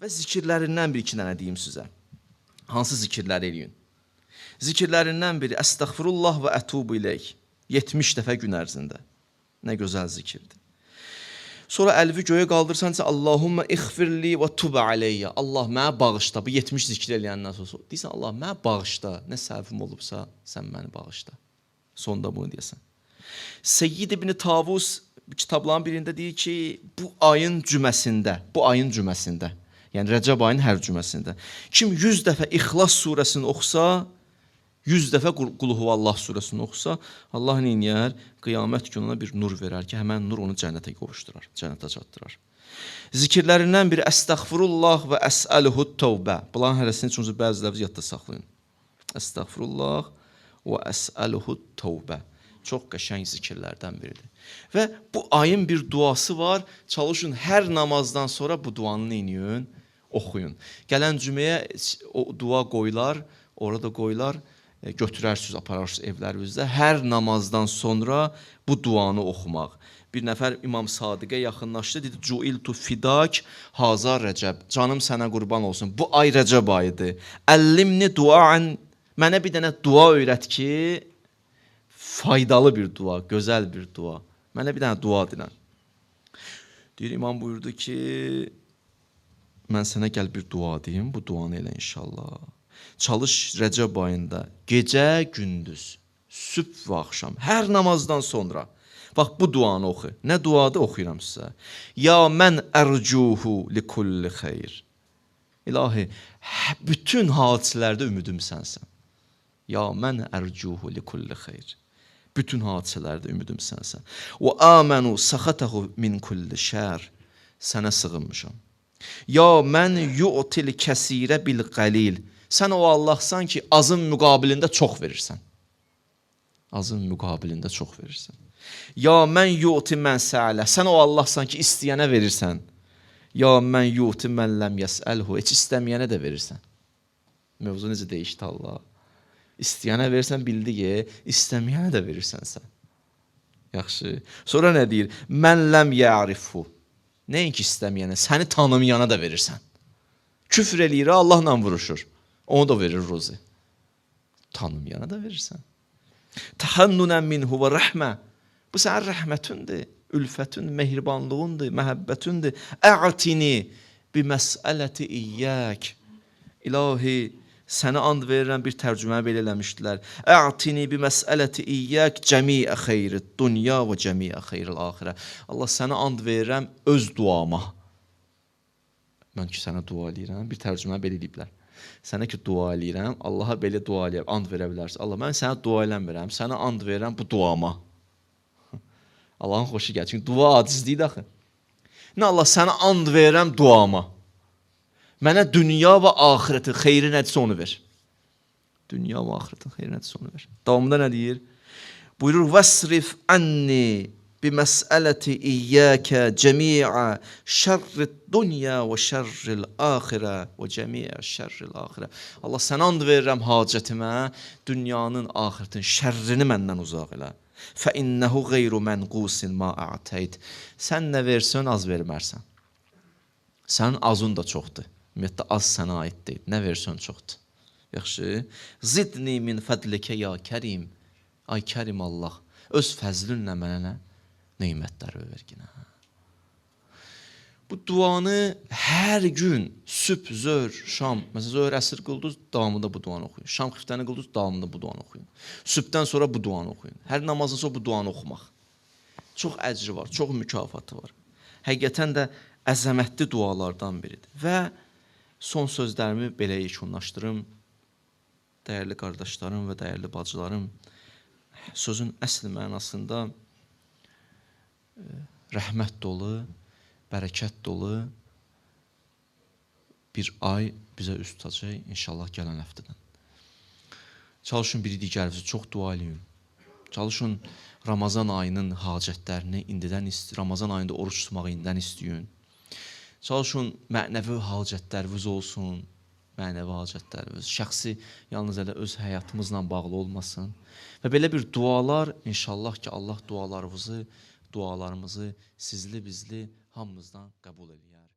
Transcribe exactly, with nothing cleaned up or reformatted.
Və zikirlərindən bir iki dənə deyim sizə. Hansı zikirləri eləyin? Zikirlərindən biri Əstəğfirullah və ətubu ileyh. yetmiş dəfə gün ərzində. Nə gözəl zikirdir. Sonra əlvi göyə qaldırsansa Allahumma ighfirli və tub aleyya. Allah mənə bağışla. Bu yetmiş zikir eləyəndən sonra deyirsən Allah mənə bağışla. Nə səhvim olubsa sən məni bağışla. Sonda bunu deyəsən. Seyyid ibn Tavus kitabların birində deyir ki, bu ayın cüməsində, bu ayın cüməsində, yəni Rəcəb ayının hər cüməsində kim yüz dəfə İxlas surəsini oxusa, yüz dəfə Qul Huvallah surəsini oxusa, Allah neyniyər? Qiyamət gününə bir nur verər ki, həmən nur onu cənnətə qovuşdurar, cənnətə çatdırar. Zikirlərindən biri Əstəğfirullah və əsəluhu tövbə. Bunların hərəsini üçün bəziləri yadda saxlayın. Əstəğfirullah və əsəluhu tövbə. Çox qəşəng zikirlərdən biridir. Və bu ayın bir duası var. Çalışın hər namazdan sonra bu duanı neyin? Oxuyun. Gələn cüməyə o dua qoyular, orada qoyular, götürərsiniz, apararsınız evlərinizdə. Hər namazdan sonra bu duanı oxumaq. Bir nəfər İmam Sadiqə yaxınlaşdı, dedi, Cuiltu fidak haza Rəcəb. Canım sənə qurban olsun. Bu ay Rəcəb ayıdır. Əllimni duan. Mənə bir dənə dua öyrət ki, faydalı bir dua, gözəl bir dua. Mənə bir dənə dua dilən. Deyir, imam buyurdu ki, mən sənə gəl bir dua deyim, bu duanı elə inşallah. Çalış Rəcəb ayında, gecə, gündüz, sübh və axşam, hər namazdan sonra. Bax, bu duanı oxu. Nə duadır oxuyuram sizə. Ya mən ərcuhu li kulli xeyr. İlahi, bütün hadisələrdə ümidim sənsən. Ya mən ərcuhu li kulli xeyr. Bütün hadisələrdə ümidim sənsən. Və amənu səxətəhu min kulli şər. Sənə sığınmışam. Ya mən yu'til kəsirə bil qalil. Sən o Allahsan ki, azın müqabilində çox verirsən. Azın müqabilində çox verirsən. Ya mən yu'ti mən sə'lə. Sən o Allahsan ki, istəyənə verirsən. Ya mən yu'ti mən ləm yəsəlhu. Heç istəməyənə də verirsən. Mövzu necə deyişdi Allah? İstəyənə verirsən, bildi ki, istəməyənə də verirsən sən. Yaxşı. Sonra nə deyir? Mən ləm ya'rifu. Nəinki istəməyənə, səni tanımayana da verirsən. Küfr eləyir, Allahla vuruşur. Onu da verir ruzi. Tanımayana da verirsən. Tahannunən minhu və rəhmə. Bu sənin rəhmətindir, ülfətin, mehribanlığındır, məhəbbətindir. Ə'tini bi məsələti iyyək. İlahi, sənə and verirəm, bir tərcümə belə eləmişdilər. Ə'tini bi məsələti iyyək cəmiə xeyri dünya və cəmiə xeyril axirə. Allah, sənə and verirəm öz duama. Mən ki, sənə dua eləyirəm, bir tərcümə belə eləyiblər. Sənə ki, dua eləyirəm, Allaha belə dua eləyəm, and verə bilərsən. Allah, mən sənə dua eləmirəm, sənə and verirəm bu duama. Allahın xoşu gəlir, çünki dua acizliyidir axı. Nə Allah, sənə and verirəm duama. Mənə dünya və axirətin xeyri nədirsə onu ver. Dünya və axirətin xeyri nədirsə onu ver. Davamında nə deyir? Buyurur, vəsrif ənni bi məsələti iyyəkə cəmiə şərrit dünya və şərril axirə və cəmiə şərril axirə. Allah, sənə and verirəm hacətimə, dünyanın, axirətin şərrini məndən uzaq elə. Fə innəhu qeyru mənqusin ma a'təyt. Sən nə versən, az vermərsən. Sənin azın da çoxdur. Ümumiyyətlə, az sənə aid deyil. Nə versən çoxdur. Yaxşı. Zidni min fədlikə ya kərim. Ay kərim Allah. Öz fəzlünlə mənə nə? Neymətləri verginə. Bu duanı hər gün sübh, zöhr, şam, məsələn, zöhr, əsr qıldınız, davamında bu duanı oxuyun. Şam xiftəni qıldınız, davamında bu duanı oxuyun. Sübhdən sonra bu duanı oxuyun. Hər namazdan sonra bu duanı oxumaq. Çox əcri var, çox mükafatı var. Həqiqətən də əzəmətli dualardan biridir. Və son sözlərimi belə yekunlaşdırım. Dəyərli qardaşlarım və dəyərli bacılarım, sözün əsl mənasında rəhmət dolu, bərəkət dolu bir ay bizə üst tutacaq, inşallah gələn həftədən. Çalışın biri digərinizi çox dua eləyin. Çalışın Ramazan ayının hacətlərini indidən istəyin, Ramazan ayında oruç tutmağı indidən istəyin. Çalışın mənəvi hacətləriniz olsun, mənəvi hacətləriniz, şəxsi yalnız elə öz həyatımızla bağlı olmasın. Və belə bir dualar, inşallah ki, Allah dualarımızı, dualarımızı sizli, bizli hamımızdan qəbul eləyər.